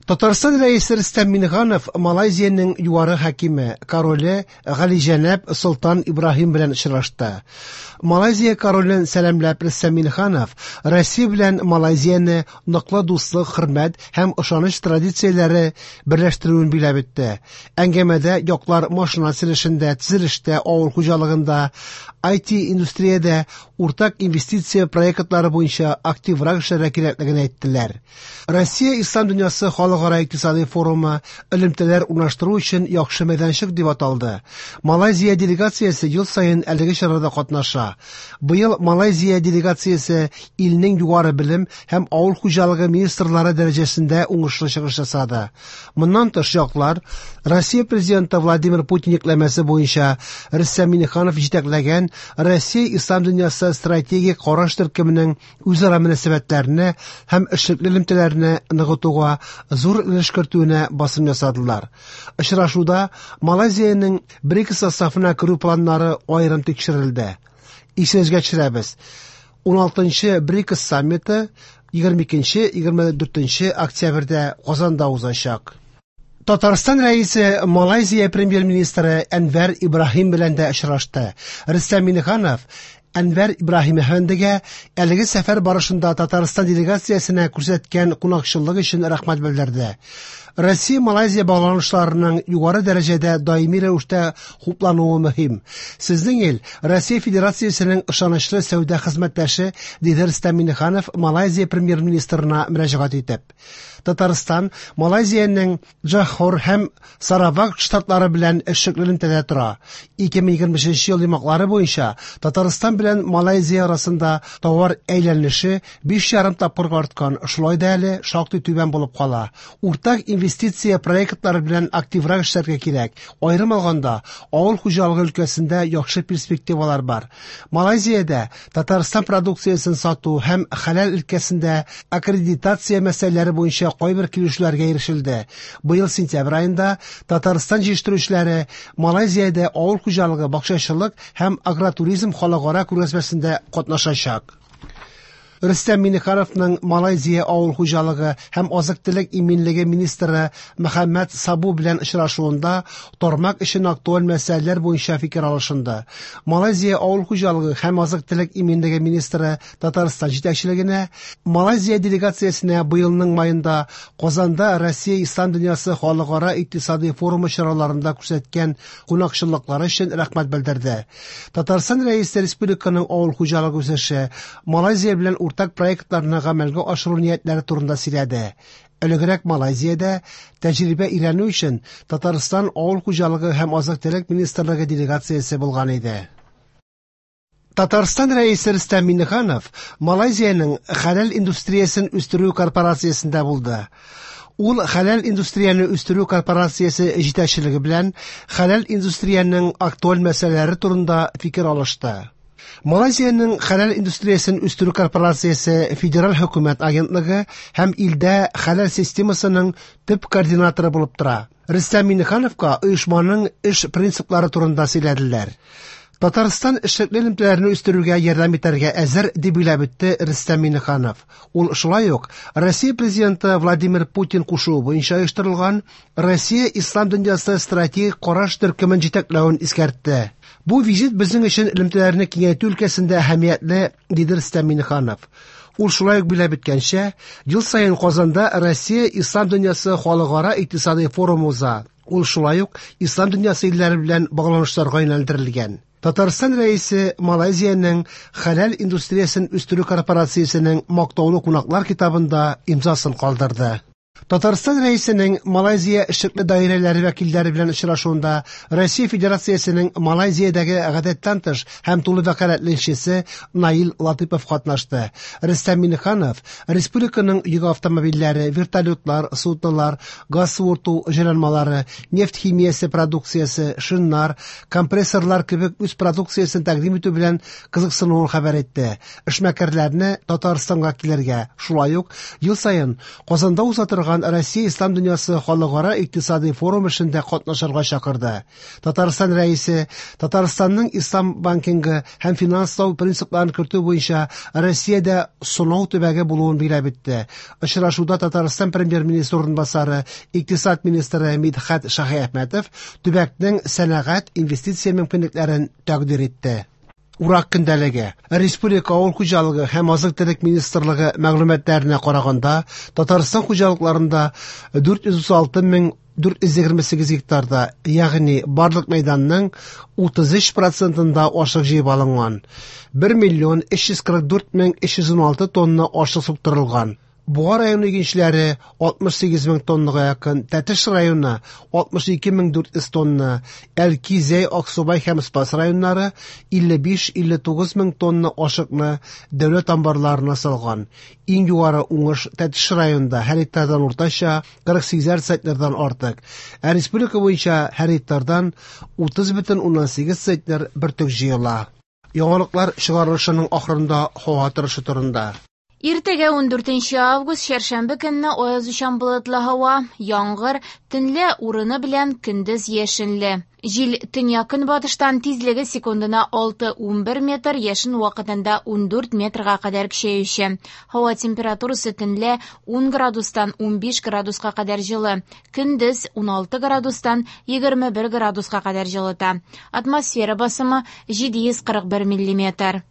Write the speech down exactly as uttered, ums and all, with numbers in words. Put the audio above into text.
Татарстан Рәисе Рөстәм Миңнеханов Малайзиянең югары хакиме, короле Галиҗәнәп Солтан Ибраһим белән очрашты. Малайзия королен сәламләп, Рөстәм Миңнеханов Россия белән Малайзияне ныклы дуслык, хөрмәт һәм ышаныч традицияләре берләштерүен билгеләп үтте. Әңгәмәдә яклар машина төзелешендә, төзелештә, авыл хуҗалыгында, I T-индустриядә уртак инвестиция проектлары буенча активрак эшләргә кирәклеген әйттеләр. Россия Ислам дөньясы халыкара икътисади форумы элемтәләр урнаштыру өчен яхшы мәйданчык дип аталды. Малайзия делегациясе ел саен әлеге чарада катнаша. Быел Малайзия делегациясе илнең югары белем һәм авыл хуҗалыгы министрлары дәрәҗәсендә уңышлы чыгыш ясады. Моннан тыш яклар Россия президенты Владимир Путин йөкләмәсе буенча Рөстәм Миңнеханов җитәкләгән Россия Ислам дөньясы стратегик караш төркеменең үзара мөнәсәбәтләрне һәм эшлекле элемтәләрне ныгытуга зур өлеш кертүенә басым ясадылар. Очрашуда Малайзиянең БРИКС составына керү планнары аерым тикшерелде. Исегезгә төшерәбез. Уналтынчы БРИКС саммиты егерме икенче, егерме дүртенче октябрьдә Казанда узачак. Татарстан Рәисе Малайзия премьер-министры Әнвәр Ибраһим белән дә очрашты. Рөстәм Миңнеханов Әнвәр Ибраһим әфәндегә әлеге сәфәр барышында Татарстан делегациясенә күрсәткән кунакчыллык өчен рәхмәт белдерде. Россия-Малайзия багланышларының югары дәрәҗәдә даими рәвештә хуплануы мөһим. Сезнең ил Россия Федерациясенең ышанычлы сәүдә хезмәттәше, диде Рөстәм Миңнеханов Малайзия премьер-министрына мөрәҗәгать итеп. Татарстан Малайзиянең Джохор һәм Саравак штатлары белән эшлекле элемтәдә тора. Ике мең егерме өченче ел йомгаклары буенча Татарстан белән Малайзия арасында товар әйләнеше биш ярым тапкырга арткан, шулай да әле шактый түбән булып кала. Уртак инвестиция проектлары белән активрак эшләргә кирәк. Аерым алганда, авыл хуҗалыгы өлкәсендә яхшы перспективалар бар. Малайзиядә Татарстан продукциясен сату һәм хәләл өлкәсендә аккредитация мәсьәләләре буенча кайбер килешүләргә ирешелде. Быел сентябрь аенда Татарстан җитештерүчеләре Малайзиядә авыл хуҗалыгы, бакчачылык һәм агротуризм халыкара күргәзмәсендә катнашачак. Рөстәм Миңнехановның Малайзия авыл хуҗалыгы һәм азык-төлек иминлеге министры Мөхәммәд Сабу белән очрашуында тармак өчен актуаль мәсьәләләр буенча фикер алышынды. Малайзия авыл хуҗалыгы һәм азык-төлек иминлеге министры Татарстан җитәкчелегенә Малайзия делегациясенә быелның майында Казанда Россия Ислам дөньясы халыкара икътисади форумы чараларында күрсәткән кунакчыллыклары өчен рәхмәт белдерде. Татарстан Рәисе республиканың авыл хуҗалыгы үсеше, Малайзия белән уртак проектларны гамәлгә ашыру ниятләре турында сөйләде. Элегрәк Малайзиядә тәҗрибә өйрәнү өчен Татарстан авыл хуҗалыгы һәм азык-төлек министрлыгы делегациясе булган иде. Татарстан Рәисе Рөстәм Миңнеханов Малайзиянең хәләл индустриясен үстерү корпорациясендә булды. Ул хәләл индустрияне үстерү корпорациясе җитәкчелеге белән хәләл индустриянең актуаль мәсьәләләре турында фикер алышты. Малайзиянең хәләл индустриясен үстерү корпорациясе федераль хөкүмәт агентлыгы һәм илдә хәләл системасының төп координаторы булып тора. Рөстәм Миңнехановка оешманың эш принциплары турында сөйләделәр. Татарстан эшлекле элемтәләрне үстерүгә ярдәм итәргә әзер, дип билгеләп үтте Рөстәм Миңнеханов. Ул шулай ук Россия президенты Владимир Путин кушуы буенча оештырылган Россия Ислам дөньясы стратегик караш төркемен җитәкләвен искәртте. Бу визит безнең өчен элемтәләрне киңәйтү өлкәсендә әһәмиятле, диде Рөстәм Миңнеханов. Ул шулай ук билгеләп үткәнчә, ел саен Казанда Россия Ислам дөньясы халыкара икътисади форумы уза. Ул шулай ук Ислам дөньясы илләре белән багланышларга юнәлдерелгән. Татарстан Рәисе Малайзиянең хәләл индустриясен үстерү корпорациясенең мактаулы кунаклар китабында имзасын калдырды. Татарстан Рәисенең Малайзия эшлекле даирәләре вәкилләре белән очрашуында Россия Федерациясенең Малайзиядәге гадәттән тыш һәм тулы вәкаләтле илчесе Наил Латыпов катнашты. Рөстәм Миңнеханов республиканың йөк автомобильләре, вертолетлар, суднолар, газ суырту җайланмалары, нефть химиясе продукциясе, шиннар, компрессорлар кебек үз продукциясен тәкъдим итү белән кызыксынуын хәбәр итте. Эшмәкәрләрне Татарстанга килергә, шулай ук ел саен Казанда уза торган барган Россия Ислам дөньясы халыкара икътисади форум эшендә катнашырга чакырды. Татарстан Рәисе Татарстанның ислам банкингы һәм финанслау принципларын кертү буенча Россиядә сынау төбәге булуын билгеләп үтте. Очрашуда Татарстан премьер-министры урынбасары, икътисад министры Мидхәт Шаһиәхмәтов төбәкнең сәнәгать инвестиция мөмкинлекләрен тәкъдир итте. Урак көндәлеге. Республика авыл хуҗалыгы һәм азык-төлек министрлыгы мәгълүматларына караганда, Татарстан хуҗалыкларында дүрт йөз утыз алты мең дүрт йөз егерме сигез гектарда, ягъни барлык мәйданның утыз өч процентында ашлык җыеп алынган. Бер миллион өч йөз кырык дүрт мең өч йөз уналты тонна ашлык суктырылган. Буа районы игенчеләре алтмыш сигез мең тоннага якын, Тәтеш районы алтмыш ике мең дүрт йөз тонна, Әлки, Зәй, Аксубай һәм Спас районнары илле биш, илле тугыз мең тонна ашыкны дәүләт амбарларына салган. Иң югары уңыш Тәтеш районында һәр гектардан уртача кырык сигезәр центнердан артык. Ә республика буенча һәр гектардан утыз бөтен уннан сигез центнер бөртек җыела. Яңалыклар чыгарылышының ахырында һава торышы турында. Иртәгә ундүртенче август чәршәмбе көнне аязучан болытлы һава, яңгыр, төнлә урыны белән көндез яшенле. Җил төньяк-көнбатыштан тизлеге секундына алты унбер метр, яшен вакытында ундүрт метрга кадәр көчәюче. Һава температурасы төнлә ун градустан унбиш градуска кадәр җылы, көндез уналты градустан егерме бер градуска кадәр җылыта. Атмосфера басымы җиде йөз кырык бер миллиметр.